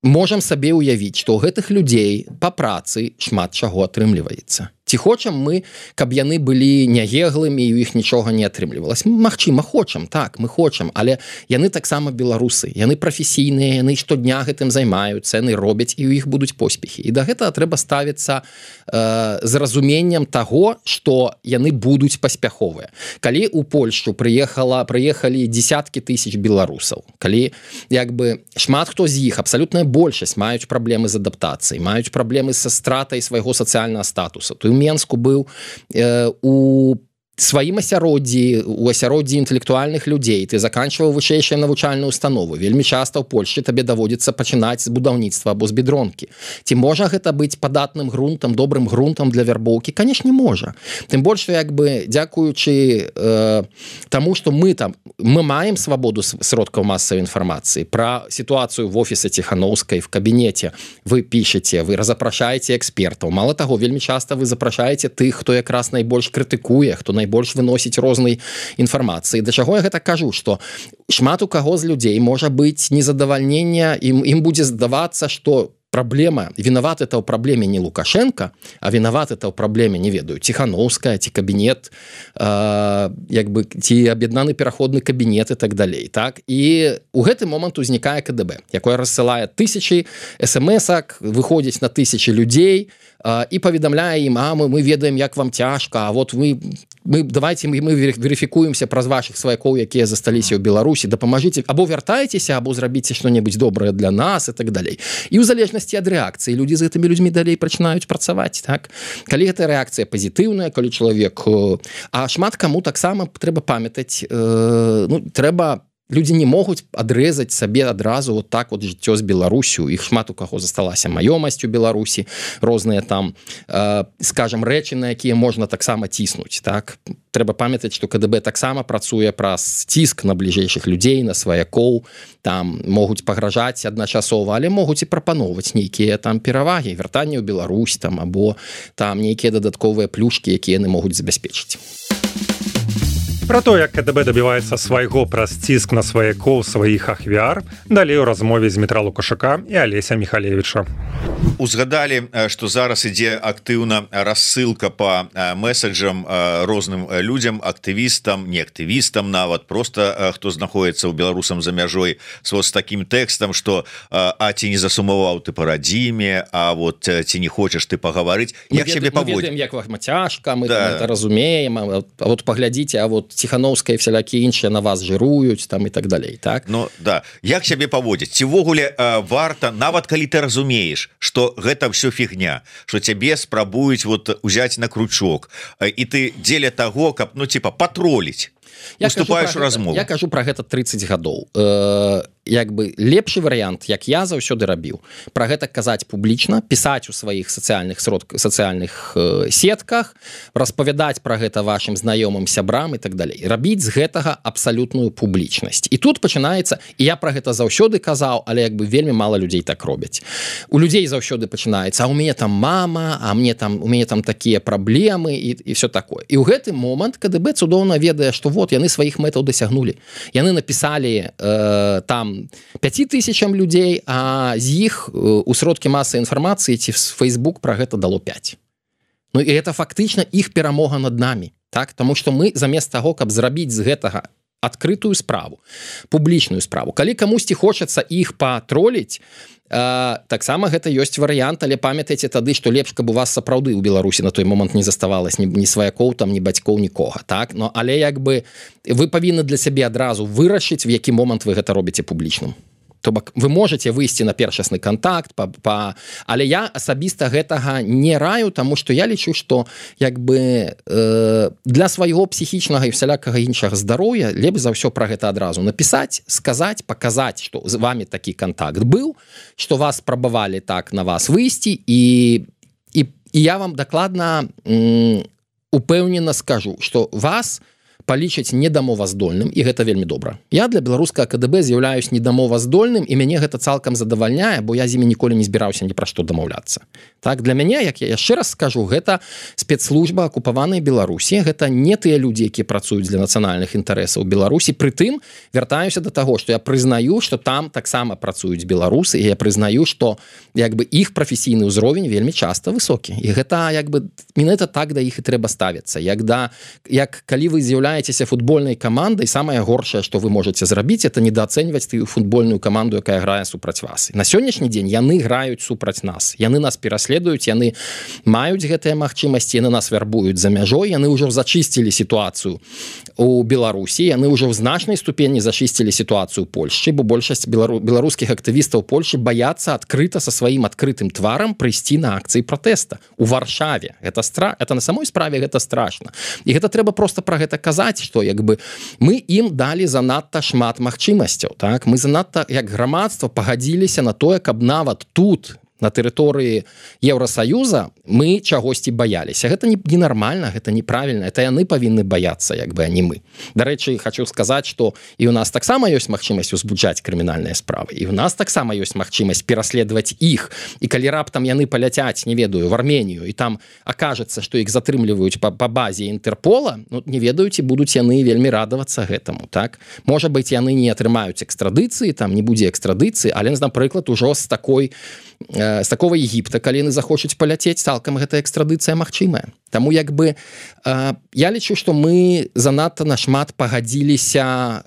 можам сабе ўявіць, што ў гэтых людзей па працы шмат чаго атрымліваецца. Ці хочам мы, каб яны былі нягеглымі і ў іх нічога не атрымлівалася? Магчыма, хочам, так, мы хочам, але яны таксама беларусы, яны прафесійныя, яны штодня гэтым займаюцца, яны робяць і ў іх будуць поспехі. І да гэтага трэба ставіцца э, з разуменнем таго, што яны будуць паспяховыя. Калі ў Польшчу прыехала, прыехалі десяткі тысяч беларусаў, калі як бы шмат хто з іх, абсалютная большасць, маюць праблемы з адаптацыяй, маюць праблемы са стратай свайго сацыяльнага статуса, то Менску быў э, у сваім асяроддзі, у асяроддзі інтэлектуальных людзей, ты заканчваў вышэйшыя навучальную установу. Вельмі часта ў Польшчы табе даводзіцца пачынаць з будаўніцтва або з бедронкі. Ці можа гэта быць падатным грунтам, добрым грунтам для вярбоўкі? Канешне, можа. Тым больш, як бы, дзякуючы э, таму, што мы там, мы маем свабоду сродкаў масавай інфармацыі. Пра сітуацыю в офісе Ціханаўскай, в кабінеце вы пішаце, вы разапрашаеце экспертаў. Мала таго, вельмі часта вы запрашаеце тых, хто якраз найбольш крытыкуе, хто найбольш больш выносіць рознай інфармацыі. Да чаго я гэта кажу, што шмат у каго з людзей можа быць незадавальненне, ім, ім будзе здавацца, што праблема, вінаваты это ў праблеме не Лукашенко, а вінаваты это ў праблеме, не ведаю, Ціханаўская, ці кабінет, э, як бы, ці аб'яднаны пераходны кабінет і так далей. Так? І у гэты момант узнікае КДБ, якое рассылае тысячы эс эм эсак, выходзіць на тысячы людзей, і паведамляе ім, а мы, мы ведаем, як вам цяжка, а вот вы мы давайте мы, мы верыфікуемся праз ваших сваякоў, якія засталіся ў Беларусі, дапамажыце або вяртайцеся, або зрабіце што-небудзь добрае для нас і так далей. І ў залежнасці ад рэакцыі людзі з гэтымі людзьмі далей пачынаюць працаваць, так? Калі гэта рэакцыя пазітыўная, калі чалавек, а шмат каму таксама трэба памятаць, э, ну, трэба людзі не могуць адрэзаць сабе адразу вот так вот жыццё з Беларусю. Іх шмат у каго засталася маёмасць у Беларусі, розныя там, э, скажем, рэчы, на якія можна таксама ціснуць. Так? Трэба памятаць, што КДБ таксама працуе праз ціск на бліжэйшых людзей, на сваякоў, там могуць пагражаць адначасова, але могуць і прапаноўваць нейкія там перавагі, вяртанне ў Беларусь там, або там нейкія дадатковыя плюшкі, якія яны могуць забяспечыць. Про то, як КДБ дабіваецца свайго праз ціск на сваякоў сваіх ахвяр, далей у размове з Дмітра Лукашука і Алеся Міхалевіча. Узгадалі, што зараз ідзе актыўна рассылка па месаджам розным людзям, актывістам, не актывістам нават, просто хто знаходіцца ў беларусам за мяжой вот з такім тэкстам, што а ці не засумаваў ты па радзіме, а вот ці не хочаш ты пагаварыць, як сябе паводзіць? Мы ведаем, як вам цяжка, мы да. это разумеем, а вот паглядзіце, а вот Ціхановская і всялякі іншыя на вас жыруюць там і так далей, так? Ну, да. Як сябе паводзіць? Ці ўвогуле э, варта, нават калі ты разумееш, што гэта ўсё фігня, што цябе спрабуюць вот узяць на крючок, э, і ты дзеля таго, каб, ну, типа, патроліць, уступаеш у размову. Я кажу пра гэта трыццаць гадоў. Э, як бы лепшы варыянт, як я заўсёды рабіў, пра гэта казаць публічна, пісаць у сваіх сацыяльных сродках, сацыяльных э, сетках, распавядаць пра гэта вашым знаёмым, сябрам і так далей. Рабіць з гэтага абсалютную публічнасць. І тут пачынаецца, і я пра гэта заўсёды казаў, але як бы вельмі мала людзей так робяць. У людзей заўсёды пачынаецца, а у мяне там мама, а мне там у мяне там такія праблемы і, і все такое. І ў гэты момант КДБ цудоўна ведае, што вот яны сваіх мэтаў дасягнулі. Яны напісалі э, там пяць тысячам людзей, а з іх у сродкі масавай інфармацыі ці Facebook пра гэта дало пяць. Ну і гэта фактычна іх перамога над намі, так? Таму што мы замест таго, каб зрабіць з гэтага адкрытую справу, публічную справу, калі камусьці хочацца іх патроліць, Uh, таксама гэта ёсць варыянт, але памятайце тады, што лепш, каб у вас сапраўды ў Беларусі на той момант не заставалось ні, ні сваякоў, там, ні бацькоў, нікога, так? Но, але як бы вы павінны для сябе адразу вырашыць, в які момант вы гэта робіце публічным. То бок вы можете выйсці на першасны контакт, па, па... але я асабіста гэтага не раю, таму што я лічу, што як бы э, для свайго псіхічнага і всялякага іншага здароўя лепш за ўсё пра гэта адразу напісаць, сказаць, паказаць, што з вами такі контакт быў, што вас спрабавалі так на вас выйсці, і, і, і я вам дакладна м, упэўнена скажу, што вас палічаць недамоваздольным, і гэта вельмі добра. Я для беларускага КДБ з'яўляюсь недамоваздольным, і мяне гэта цалкам задавальняе, бо я з імі ніколі не збіраўся ні пра што дамаўляцца. Так, для мяне, як я яшчэ раз скажу, гэта спецслужба акупаванай Беларусі, гэта не тыя людзі, якія працуюць для нацыянальных інтарэсаў Беларусі, прытым вяртаюся да таго, што я прызнаю, што там таксама працуюць беларусы, і я прызнаю, што як бы іх прафесійны ўзровень вельмі часта высокі. І гэта як бы менавіта так да іх і трэба ставіцца. Як да як калі вы з'яўляецеся футбольнай камандай, самае горшае, што вы можаце зрабіць, это недаацэньваць тую футбольную каманду, якая грае супраць вас. На сённяшні дзень яны граюць супраць нас. Яны нас пераследуюць, яны маюць гэтыя магчымасці, яны нас вярбуюць за мяжой, яны ўжо зачысцілі сітуацыю у Беларусі, яны ўжо ў значнай ступені зачысцілі сітуацыю ў Польшчы, бо большасць белару... беларускіх актывістаў Польшчы баяцца адкрыта са сваім адкрытым тварам прыйсці на акцыі пратэста у Варшаве. Это стра... это на самой справе гэта страшна. І гэта трэба просто пра гэта казаць, што як бы мы ім далі занадта шмат магчымасцяў, так? Мы занадта як грамадства пагадзіліся на тое, каб нават тут на тэрыторыі Еўрасаюза мы чагосьці баяліся. Гэта не ненармальна, гэта неправільна, это яны павінны баяцца, як бы, а не мы. Дарэчы, хочу сказаць, што і ў нас таксама ёсць магчымасць узбуджаць крымінальныя справы, і ў нас таксама ёсць магчымасць пераследаваць іх, і калі раптам яны паляцяць, не ведаю, в Арменію, і там акажацца, што іх затрымліваюць па, па базе Інтэрпола, ну, не ведаюць, і будуць яны вельмі радавацца гэтаму, так? Можа быць, яны не атрымаюць экстрадыцыі, там не будзе экстрадыцыі, але, напрыклад, ужо з такой з такого Егіпта, калі яны захочуць паляцець, цалкам гэта экстрадыцыя магчымая. Таму як бы я лічу, што мы занадта нашмат пагадзіліся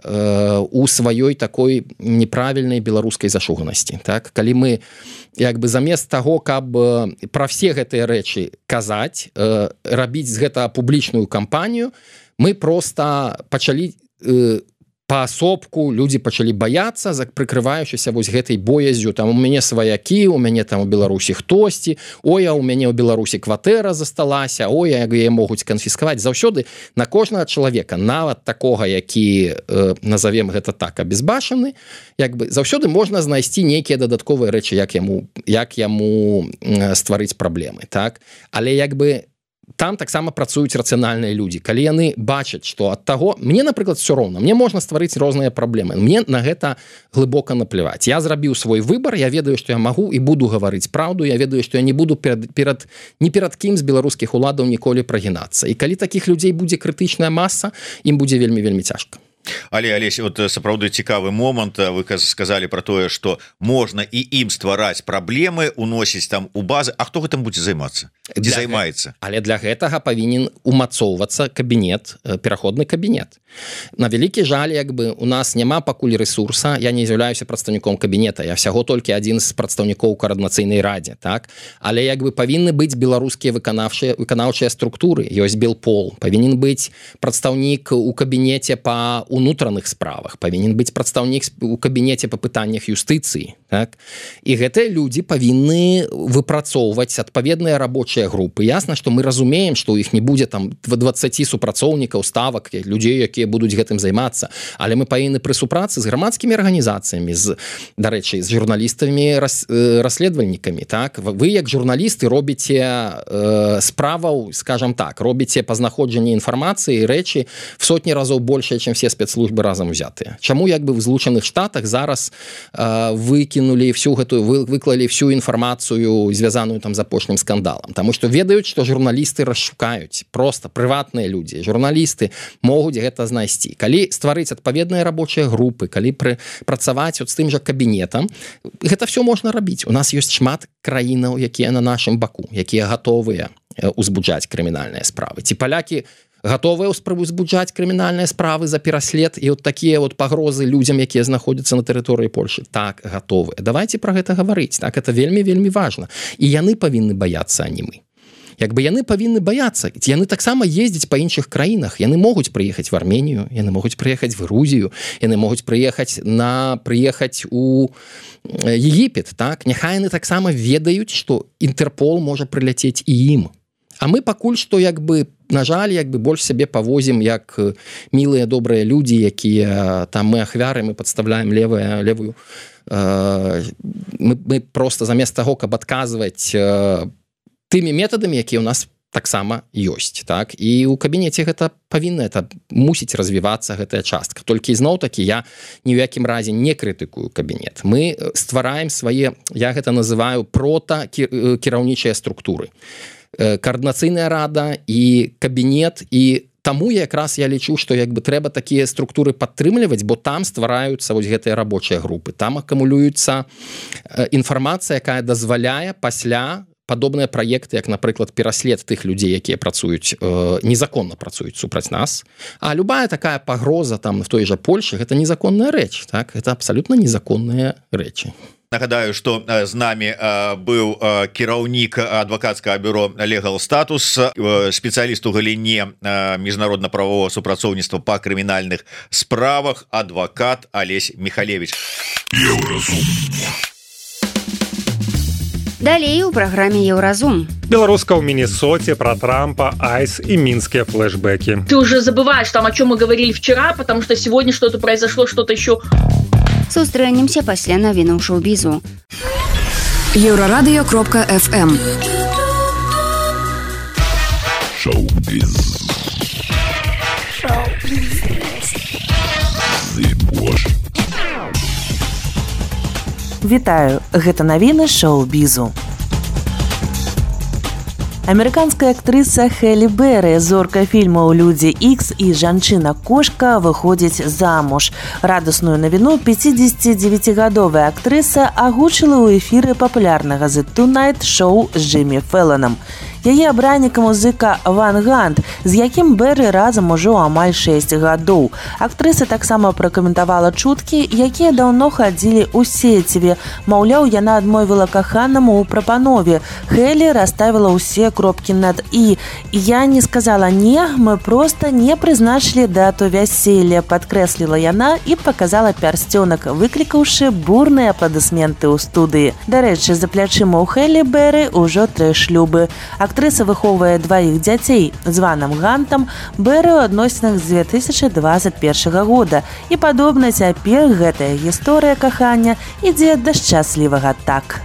у сваёй такой неправільнай беларускай зашуганасці. Так? Калі мы як бы замест таго, каб пра все гэтыя рэчы казаць, рабіць з гэта публічную кампанію, мы проста пачалі паасобку, людзі пачалі баяцца, прыкрываючыся вось гэтай боязю, там у мяне сваякі, у мяне там у Беларусі хтосьці, ой, а у мяне ў Беларусі кватэра засталася, ой, як яе могуць канфіскаваць. Заўсёды на кожнага чалавека, нават такога, які, э, назовем гэта так, абезбашаны, як бы заўсёды можна знайсці нейкія дадатковыя рэчы, як яму, як яму э, стварыць праблемы, так? Але як бы там таксама працуюць рацыянальныя людзі. Калі яны бачаць, што ад таго... Мне, напрыклад, все роўна. Мне можна стварыць розныя праблемы. Мне на гэта глыбока напляваць. Я зрабіў свой выбар, я ведаю, што я магу і буду гаварыць праўду, я ведаю, што я не буду перад, перад, ні перад кім з беларускіх уладаў ніколі прагінацца. І калі такіх людзей будзе крытычная маса, ім будзе вельмі-вельмі цяжка. Але Алесь, вот сапраўды цікавы момант, вы сказалі про тое, што можна і ім ствараць праблемы, уносіць там у базы, а хто гэтым будзе займацца? Дзе займаецца? Але для гэтага павінен умацоўвацца кабінет, пераходны кабінет. На вялікі жаль, як бы у нас няма пакуль ресурса, я не з'яўляюся прадстаўніком кабінета, я всяго толькі адзін з прадстаўнікоў коардынацыйнай радзе, так? Але як бы павінны быць беларускія выканаўчыя выканаўчыя структуры, ёсць Белпол, павінен быць прадстаўнік у кабінеце па унутраных справах, павінен быць прадстаўнік у кабінеце па пытаннях юстыцыі, так? І гэтыя людзі павінны выпрацоўваць адпаведныя рабочыя групы. Ясна, што мы разумеем, што ў іх не будзе там дваццаць супрацоўнікаў, ставак, людзей, якія будуць гэтым займацца, але мы павінны пры супрацы з грамадскімі арганізацыямі, з, дарэчы, з журналістамі, рас, э, расследавальнікамі, так? Вы, як журналісты, робіце э, справаў, скажам так, робіце па знаходжанні інфармацыі, рэчы в сотні разоў большая, чым все спецслужбы разам узятыя. Чаму як бы в Злучаных Штатах зараз э, выкінулі всю гэтую, вы, выклалі всю інфармацыю, звязаную там з апошнім скандалам? Таму што ведаюць, што журналісты расшукаюць, проста прыватныя людзі, журналісты могуць гэта знайсці. Калі стварыць адпаведныя рабочыя групы, калі пры, працаваць от з тым жа кабінетам, гэта все можна рабіць. У нас ёсць шмат краінаў, якія на нашым баку, якія гатовыя узбуджаць крымінальныя справы. Ці палякі гатовыя узбуджаць крымінальныя справы за пераслед і от такія вот пагрозы людзям, якія знаходзяцца на тэрыторыі Польшы? Так, гатовыя. Давайте пра гэта гаварыць. Так, это вельмі-вельмі важна. І яны павінны баяцца, а не мы. Як бы яны павінны баяцца. Яны таксама ездзяць па іншых краінах. Яны могуць прыехаць в Арменію, яны могуць прыехаць в Грузію, яны могуць прыехаць на прыехаць у Егіпет, так? Няхай яны таксама ведаюць, што Інтэрпол можа прыляцець і ім. А мы пакуль што як бы, на жаль, як бы больш сябе павозім як мілыя добрыя людзі, якія там мы ахвяры, мы падставляем левую левую э, мы, мы просто замест таго, каб адказваць э, тымі метадамі, якія ў нас таксама ёсць, так? І ў кабінеце гэта павінна, это мусіць развівацца гэтая частка. Толькі ізноў-такі я ні ў якім разе не крытыкую кабінет. Мы ствараем свае, я гэта называю прота кіраўнічыя структуры. Коордынацыйная рада і кабінет, і таму якраз я лічу, што як бы трэба такія структуры падтрымліваць, бо там ствараюцца вось гэтыя рабочыя групы. Там акумулюецца інфармацыя, якая дазваляе пасля падобныя праекты, як, напрыклад, пераслед тых людзей, якія працуюць, э, незаконна працуюць супраць нас. А любая такая пагроза там в той жа Польшы, гэта незаконная рэч, так? Гэта абсалютна незаконныя рэчы. Нагадаю, што з намі быў кіраўнік адвакацкага бюро Legal Status, спецыяліст у галіне міжнародна-правового супрацоўніцтва па крымінальных справах, адвакат Алесь Михалевич. Далей у праграме Еўразум. Беларуска ў Міннесоце, про Трампа, айс и минские флешбеки. Ты уже забываешь там, о чем мы говорили вчера, потому что сегодня что-то произошло, что-то еще. Сустрэнемся пасля навінаў шоу-бізу. Еўрарадыё кропка эф эм. Шоу-біз. Вітаю, гэта навіны шоу-бізу. Амерыканская актрыса Хелі Берри, зорка фільмаў «Людзі Ікс» і «Жанчына-кошка» выходзіць замуж. Радасную навіну пяцідзесяцідзевяцігадовая актрыса агучыла ў эфіры папулярнага «The Tonight Show» з Джиммі Фэлланам. Яе абраннік музыка Ван Гант, з якім Берри разам ужо амаль шэсць гадоў. Актрыса таксама пракаментавала чуткі, якія даўно хадзілі ў сеціве. Маўляў, яна адмовіла каханаму ў прапанове. Хелі расставіла ўсе кропкі над «і». «Я не сказала не, мы просто не прызначылі дату вяселля», падкрэсліла яна і паказала пярсцёнак, выклікаўшы бурныя апладысменты ў студыі. Дарэчы, за плячыма ў Хелі Берри ўжо тры шлюбы. Актрыса выхоўвае дваіх дзяцей з Ванам Гантам, Берри ў адносінах з дзве тысячы дваццаць першага года. І падобна цяпер гэтая гісторыя кахання ідзе да шчаслівага так.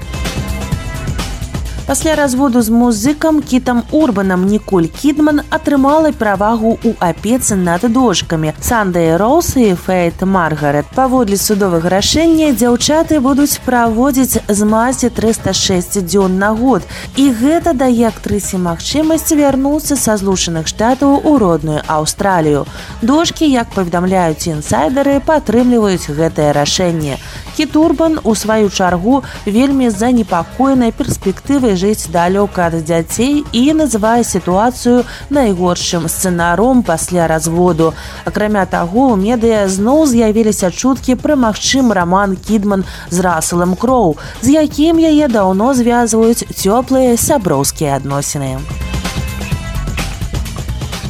Пасля разводу з музыкам Кітам Урбанам Ніколь Кідман атрымала перавагу ў апецы над дочкамі Сандай Роуз і Фейт Маргарет. Паводле судовага рашэння дзяўчаты будуць праводзіць з маці трыста шэсць дзён на год. І гэта дае актрысе магчымасць вярнуцца са Злучаных Штатаў у родную Аўстралію. Дочкі, як паведамляюць інсайдары, падтрымліваюць гэтае рашэнне. Кіт Урбан, у сваю чаргу, вельмі занепакоены перспектывай жыць далёка ад дзяцей і называе сітуацыю найгоршым сцэнаром пасля разводу. Акрамя таго, у медыа зноў з'явіліся чуткі пра магчымы роман Кідман з Расселам Кроу, з якім яе даўно звязваюць цёплыя сяброўскія адносіны.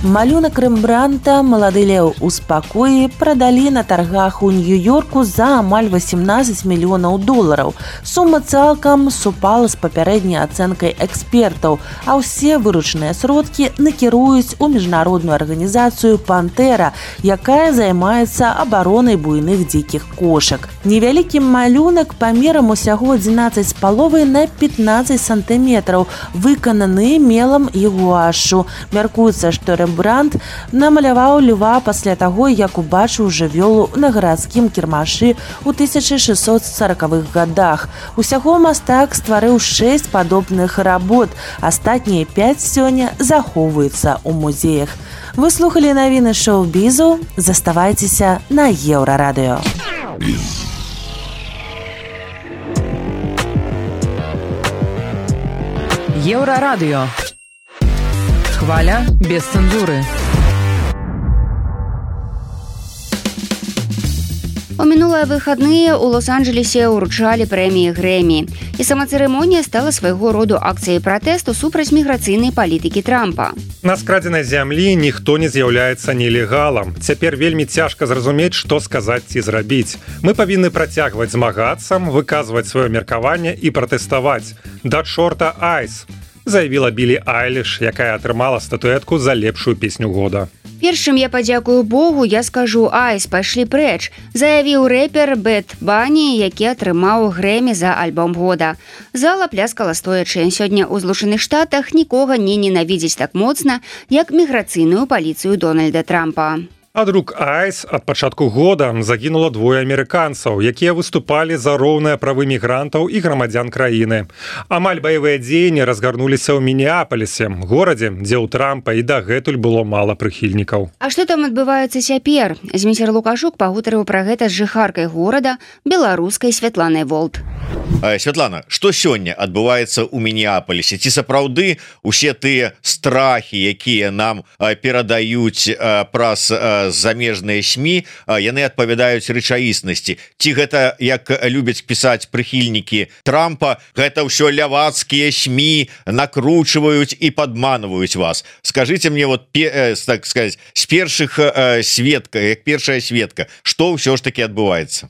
Малюнак Рэмбранта «Малады леў у спакоі» прадалі на таргах у Нью-Йорку за амаль васемнаццаць мільёнаў долараў. Сума цалкам супала з папярэдняй ацэнкай экспертаў, а ўсе выручаныя сродкі накіруюць у міжнародную арганізацыю «Пантэра», якая займаецца абаронай буйных дзікіх кошак. Невялікі малюнак памерам усяго адзінаццаць з паловай на пятнаццаць сантыметраў, выкананы мелам і гуашу. Мяркуецца, што Рэмбрант Бранд намаляваў льва пасля таго, як убачыў жывёлу на гарадскім кірмашы ў тысяча шэсцьсот саракавых гадах. Усяго мастак стварыў шэсць падобных работ. Астатнія пяць сёння захоўваюцца ў музеях. Вы слухалі навіны шоу-бізу. Заставайцеся на Еўрарадыё. Еўрарадыё. Хваля без цэнзуры. У мінулыя выхадныя ў Лос-Анджелесе ўручалі прэміі Грэмі. І сама цырымонія стала свайго роду акцыяй пратэсту супраць міграцыйнай палітыкі Трампа. На скрадзенай зямлі ніхто не з'яўляецца нелегалам. Цяпер вельмі цяжка зразумець, што сказаць ці зрабіць. Мы павінны працягваць змагацца, выказваць сваё меркаванне і пратэставаць. Да чорта айс! Заявіла Білі Айліш, якая атрымала статуэтку за лепшую песню года. Першым я падзякую Богу, я скажу «Айс, пайшлі прэч», заявіў рэпер Бэд Бані, які атрымаў Грэмі за альбом года. Зала пляскала стоячы. Сёння ў Злучаных Штатах нікога не ненавідзіць так моцна, як міграцыйную паліцыю Дональда Трампа. Ад рук айс ад пачатку года загінула двое амерыканцаў, якія выступалі за роўныя правы мігрантаў і грамадзян краіны. Амаль баявыя дзеянні разгарнуліся ў Мінеапалісе, горадзе, дзе ў Трампа і дагэтуль было мала прыхільнікаў. А што там адбываецца цяпер? Зміцер Лукашук пагутарыў пра гэта з жыхаркай горада, беларускай Святланай Волт. Святлана, што сёння адбываецца ў Мінеапалісе? Ці сапраўды усе тыя страхі, якія нам перадаюць праз замежныя СМІ, яны адпавядаюць рэчаіснасці? Ці гэта, як любяць пісаць прыхільнікі Трампа, гэта ўсё лявацкія СМІ накручваюць і падманваюць вас? Скажыце мне, вот, так сказать, з першых сведка, як першая сведка, што ўсё ж таки адбываецца?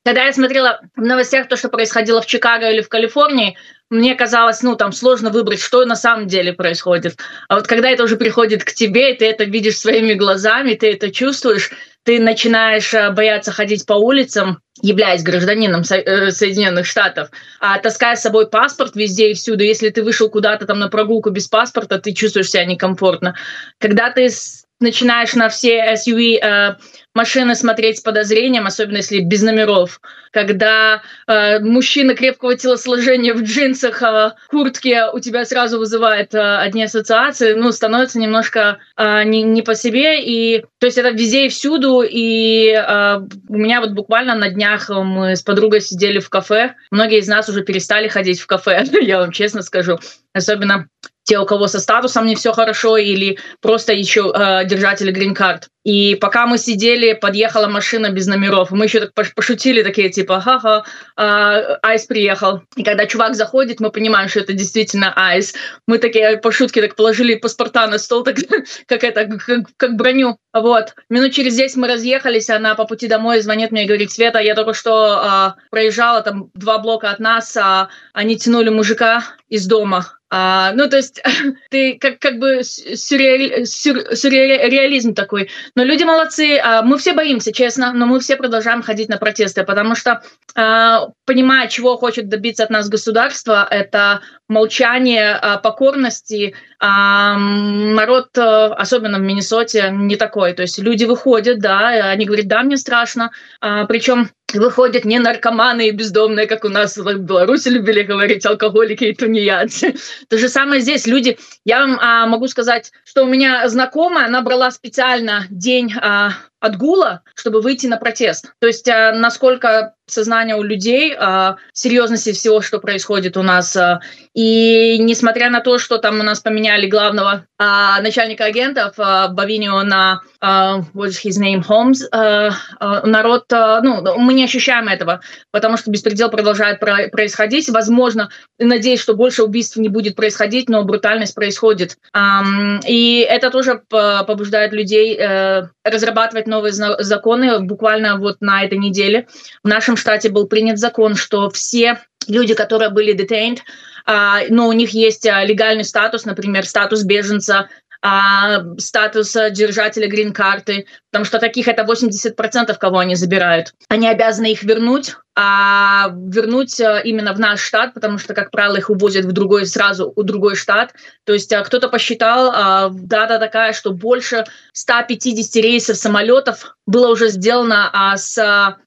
Когда я смотрела в новостях то, что происходило в Чикаго или в Калифорнии, мне казалось, ну, там сложно выбрать, что на самом деле происходит. А вот когда это уже приходит к тебе, и ты это видишь своими глазами, ты это чувствуешь, ты начинаешь бояться ходить по улицам, являясь гражданином Соединенных Штатов, а таская с собой паспорт везде и всюду. Если ты вышел куда-то там на прогулку без паспорта, ты чувствуешь себя некомфортно. Когда ты начинаешь на все эс ю ви э, машины смотреть с подозрением, особенно если без номеров. Когда э, мужчина крепкого телосложения в джинсах, э, куртке у тебя сразу вызывает э, одни ассоциации, ну, становится немножко э, не, не по себе. И, то есть это везде и всюду. И э, у меня вот буквально на днях мы с подругой сидели в кафе. Многие из нас уже перестали ходить в кафе, я вам честно скажу. Особенно те, у кого со статусом не все хорошо, или просто еще э, держатели грин-карт. И пока мы сидели, подъехала машина без номеров. Мы еще так пошутили, такие типа, ха-ха, э, Айс приехал. И когда чувак заходит, мы понимаем, что это действительно Айс. Мы такие по шутке так положили паспорта на стол, так, как это, как, как броню. Вот. Минут через десять мы разъехались, она по пути домой звонит мне и говорит: Света, я только что э, проезжала там два блока от нас, а они тянули мужика из дома. А, ну, то есть ты как, как бы сюрреали, сюр, сюрреализм такой. Но люди молодцы. А, мы все боимся, честно, но мы все продолжаем ходить на протесты, потому что, а, понимая, чего хочет добиться от нас государство, это молчание, а, покорности. А, народ, особенно в Миннесоте, не такой. То есть люди выходят, да, они говорят: да, мне страшно. А, причем выходят не наркоманы и бездомные, как у нас в Беларуси любили говорить, алкоголики и тунеядцы. То же самое здесь. Люди, я вам а, могу сказать, что у меня знакомая, она брала специально день а, отгула, чтобы выйти на протест. То есть а, насколько сознание у людей, а, серьезности всего, что происходит у нас. А, и несмотря на то, что там у нас поменяли главного а, начальника агентов а, Бавинио на а, what's his name, Holmes, а, а, народ, а, ну, мы не ощущаем этого, потому что беспредел продолжает про- происходить. Возможно, надеюсь, что больше убийств не будет происходить, но брутальность происходит. А, и это тоже побуждает людей а, разрабатывать новые законы. Буквально вот на этой неделе в нашем штате был принят закон, что все люди, которые были detained, а, но у них есть легальный статус, например, статус беженца, а, статус держателя грин-карты, потому что таких это восемьдесят процентов, кого они забирают. Они обязаны их вернуть, а вернуть именно в наш штат, потому что, как правило, их увозят в другой, сразу в другой штат. То есть кто-то посчитал, дата такая, что больше ста пятидесяти рейсов самолетов было уже сделано а, с,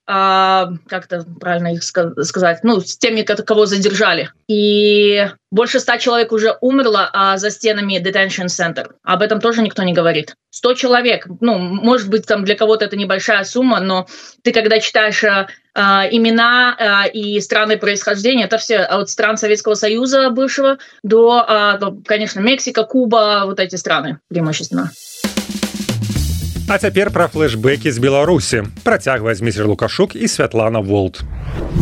а, как это правильно их сказать, ну, с теми, кого задержали. И больше ста человек уже умерло а, за стенами detention center. Об этом тоже никто не говорит. сто человек, ну, может быть, там для кого-то это небольшая сумма, но ты, когда читаешь а, а, имена а, и страны происхождения, это все от стран Советского Союза бывшего до, а, до, конечно, Мексика, Куба, вот эти страны преимущественно. А цяпер пра флешбекі з Беларусі. Працягвае Зміцер Лукашук і Святлана Волт.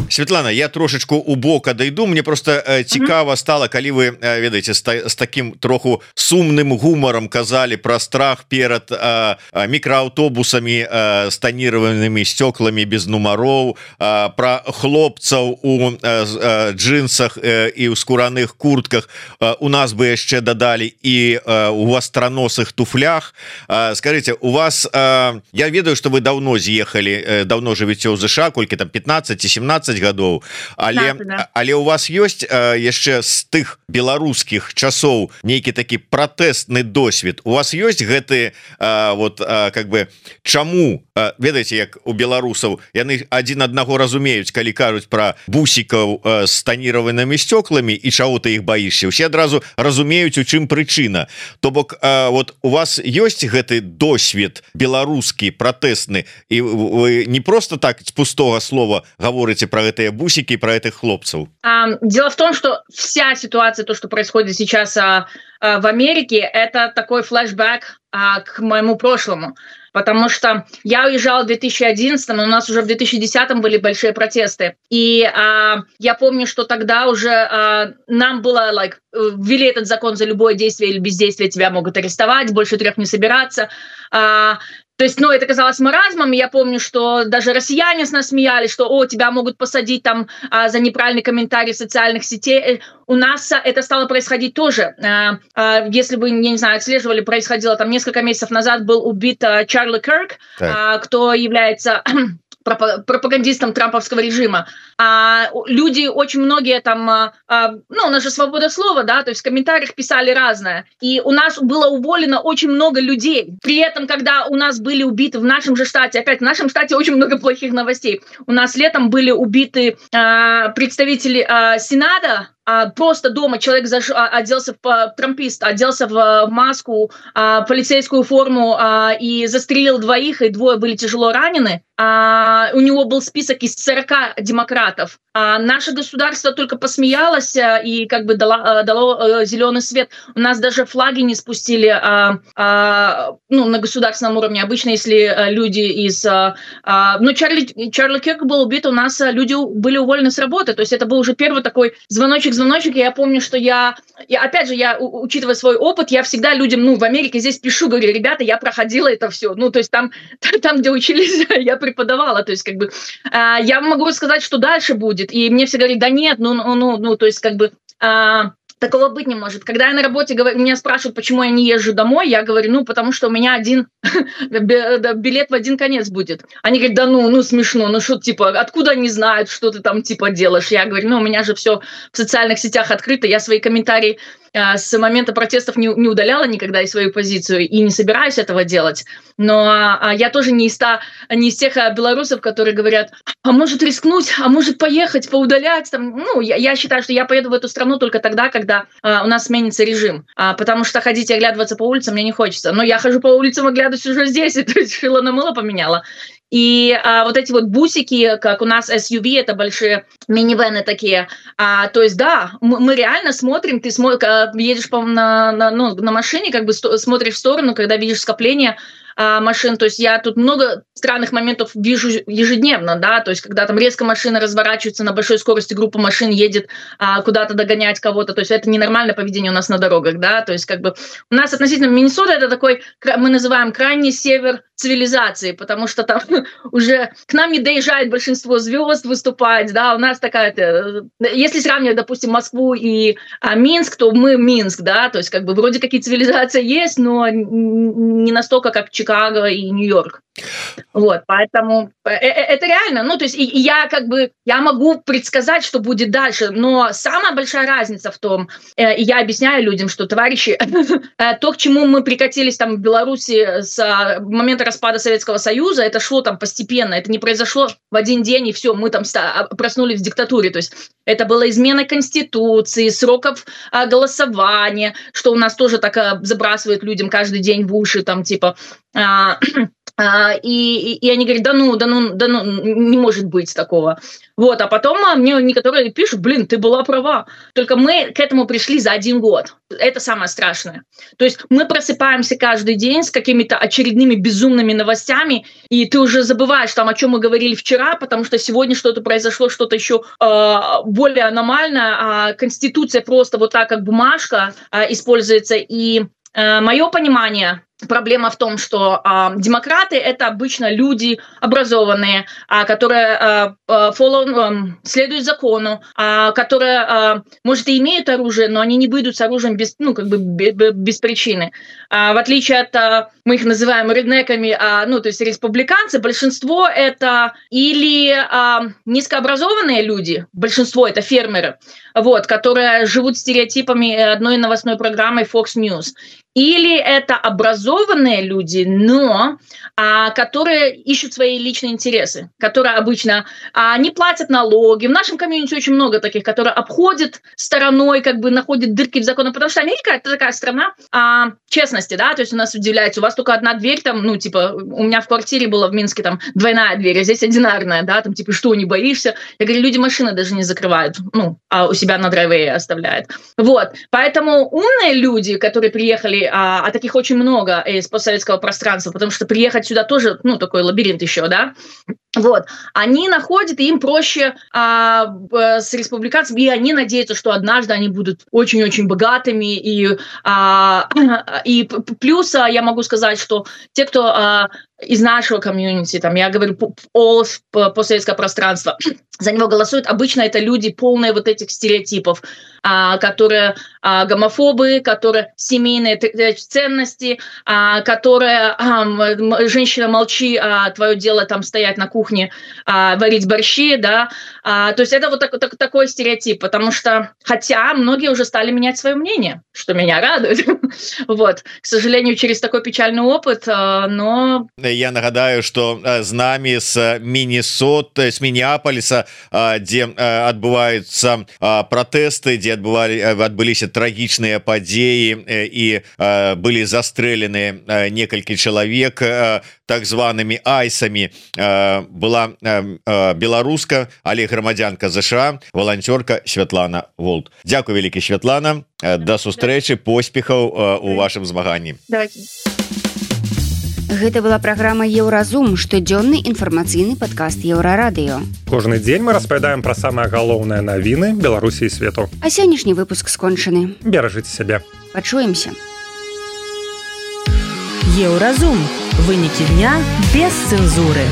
Светлана, я трошечку у бок адайду. Мне просто э, цікава стала, калі вы э, ведаеце з, з таким троху сумным гумаром казалі пра страх перад э, мікрааўтобусамі э, з танірованымі сцёкламі без нумароў, э, пра хлопцаў у э, джинсах э, і ў скураных куртках. Э, у нас бы яшчэ дадалі і э, у вастраносых туфлях. Э, скажите, у вас э, я ведаю, что вы давно з'ехалі, э, давно жывеце ў ЗША, колькі там пятнадцать семнадцать гадоў, але да, да. але у вас ёсць э, яшчэ з тых беларускіх часоў нейкі такі пратэстны досвед. У вас ёсць гэты э, вот э, как бы чаму э, ведаеце, як у беларусаў яны адзін аднаго разумеюць, калі кажуць пра бусікаў э, з танірованымі сцёкламі і чаго ты іх баішся, усе адразу разумеюць, у чым прычына. То бок э, вот у вас ёсць гэты досвед беларускі пратэстны, і вы не просто так з пустого слова говорите про гэтыя бусики, про этих хлопцев? Дело в том, что вся ситуация, то, что происходит сейчас а, а, в Америке, это такой флешбэк а, к моему прошлому. Потому что я уезжала в две тысячи одиннадцатом, у нас уже в две тысячи десятом были большие протесты. И а, я помню, что тогда уже а, нам было, like, ввели этот закон: за любое действие или бездействие тебя могут арестовать, больше трех не собираться. А, То есть, ну, это казалось маразмом. Я помню, что даже россияне с нас смеялись, что, о, тебя могут посадить там а, за неправильный комментарий в социальных сетях. У нас а, это стало происходить тоже. А, а, если вы, я не знаю, отслеживали, происходило там несколько месяцев назад, был убит а, Чарли Кирк, а, кто является пропагандистам трамповского режима. А люди, очень многие там, а, ну, у нас же свобода слова, да, то есть в комментариях писали разное. И у нас было уволено очень много людей. При этом, когда у нас были убиты в нашем же штате, опять в нашем штате очень много плохих новостей. У нас летом были убиты а, представители а, Сената, а просто дома человек заш... оделся в трампист, оделся в маску, а, полицейскую форму а, и застрелил двоих, и двое были тяжело ранены. А, у него был список из сорока демократов. А наше государство только посмеялось и как бы дало, дало зеленый свет. У нас даже флаги не спустили а, а, ну, на государственном уровне. Обычно, если люди из... А, ну, Чарли, Чарли Кирк был убит, у нас люди были уволены с работы. То есть это был уже первый такой звоночек, звоночек. Я помню, что я... я опять же, я, учитывая свой опыт, я всегда людям, ну, в Америке здесь пишу, говорю, ребята, я проходила это все. Ну, то есть там, там где учились, я преподавала. То есть как бы а, я могу сказать, что дальше будет. И мне все говорят, да нет, ну, ну, ну, ну то есть как бы... А, такого быть не может. Когда я на работе, говорю, меня спрашивают, почему я не езжу домой, я говорю, ну, потому что у меня один билет в один конец будет. Они говорят, да ну, ну, смешно, ну, что, типа, откуда они знают, что ты там, типа, делаешь? Я говорю, ну, у меня же все в социальных сетях открыто, я свои комментарии с момента протестов не, не удаляла никогда и свою позицию, и не собираюсь этого делать. Но а, я тоже не из, та, не из тех а, белорусов, которые говорят, а может рискнуть, а может поехать, поудалять. Там. Ну, я, я считаю, что я поеду в эту страну только тогда, когда а, у нас сменится режим. А, потому что ходить и оглядываться по улицам мне не хочется. Но я хожу по улицам, оглядываюсь уже здесь, и то есть шило на мыло поменяла. И а, вот эти вот бусики, как у нас эс ю ви, это большие минивены такие. А, то есть, да, мы, мы реально смотрим, ты смо- едешь по, на, на, ну, на машине, как бы сто- смотришь в сторону, когда видишь скопление а, машин. То есть я тут много странных моментов вижу ежедневно, да, то есть когда там резко машина разворачивается на большой скорости, группа машин едет а, куда-то догонять кого-то. То есть это ненормальное поведение у нас на дорогах, да, то есть как бы у нас относительно Миннесота это такой, мы называем крайний север цивилизации, потому что там уже к нам не доезжает большинство звезд выступать, да, у нас такая, если сравнивать, допустим, Москву и а, Минск, то мы Минск, да, то есть как бы вроде какие цивилизации есть, но не настолько, как Чикаго и Нью-Йорк. Вот, поэтому это реально, ну, то есть и, и я как бы, я могу предсказать, что будет дальше, но самая большая разница в том, э, и я объясняю людям, что, товарищи, э, то, к чему мы прикатились там в Беларуси с э, момента распада Советского Союза, это шло там постепенно, это не произошло в один день, и все, мы там ста- проснулись в диктатуре, то есть это была измена Конституции, сроков э, голосования, что у нас тоже так э, забрасывают людям каждый день в уши, там, типа... Э, Uh, и, и они говорят, да ну, да ну, да ну, не может быть такого. Вот, а потом мне некоторые пишут, блин, ты была права. Только мы к этому пришли за один год. Это самое страшное. То есть мы просыпаемся каждый день с какими-то очередными безумными новостями, и ты уже забываешь там, о чем мы говорили вчера, потому что сегодня что-то произошло, что-то еще э, более аномальное, а Конституция просто вот так, как бумажка, э, используется. И э, мое понимание... Проблема в том, что э, демократы — это обычно люди образованные, э, которые э, follow, э, следуют закону, э, которые, э, может, и имеют оружие, но они не выйдут с оружием без, ну, как бы без причины. Э, в отличие от, э, мы их называем реднеками, э, ну, то есть республиканцы, большинство — это или э, низкообразованные люди, большинство — это фермеры, вот, которые живут стереотипами одной новостной программы Fox News, или это образованные люди, но а, которые ищут свои личные интересы, которые обычно а, не платят налоги. В нашем комьюнити очень много таких, которые обходят стороной, как бы находят дырки в законе, потому что Америка — это такая страна а, честности, да, то есть у нас удивляется, у вас только одна дверь, там, ну, типа, у меня в квартире была в Минске там двойная дверь, а здесь одинарная, да, там, типа, что, не боишься? Я говорю, люди машины даже не закрывают, ну, а у себя на драйвее оставляют. Вот, поэтому умные люди, которые приехали, а, а таких очень много из постсоветского пространства, потому что приехать сюда тоже, ну, такой лабиринт еще, да, вот, они находят, и им проще а, с республиканцами, и они надеются, что однажды они будут очень-очень богатыми, и, а, и плюс я могу сказать, что те, кто а, из нашего комьюнити, там, я говорю, all постсоветское пространство, за него голосуют. Обычно это люди, полные вот этих стереотипов, которые гомофобы, которые семейные ценности, которые женщина, молчи, а твое дело там стоять на кухне, варить борщи, да. То есть это вот так, так, такой стереотип, потому что, хотя многие уже стали менять свое мнение, что меня радует. Вот, к сожалению, через такой печальный опыт, но... Я нагадаю, что з нами с Міннесоты, с Мінеаполиса, где отбываются протесты, где отбывали, отбылись трагичные подеи и были застрелены некалькі человек так зваными айсами. Была беларуска, але грамадзянка ЗША, волонтерка Святлана Волт. Дякую вялікі, Святлана. До сустрэчы, поспехаў у вашым змаганні. Давайте. Гэта была праграма Еўразум, штодзённы інфармацыйны падкаст Еўрарадыё. Кожны дзень мы распавядаем пра самыя галоўныя навіны Беларусі і свету. А сённяшні выпуск скончаны. Беражыце сябе. Пачуемся. Еўразум. Вынікі дня без цэнзуры.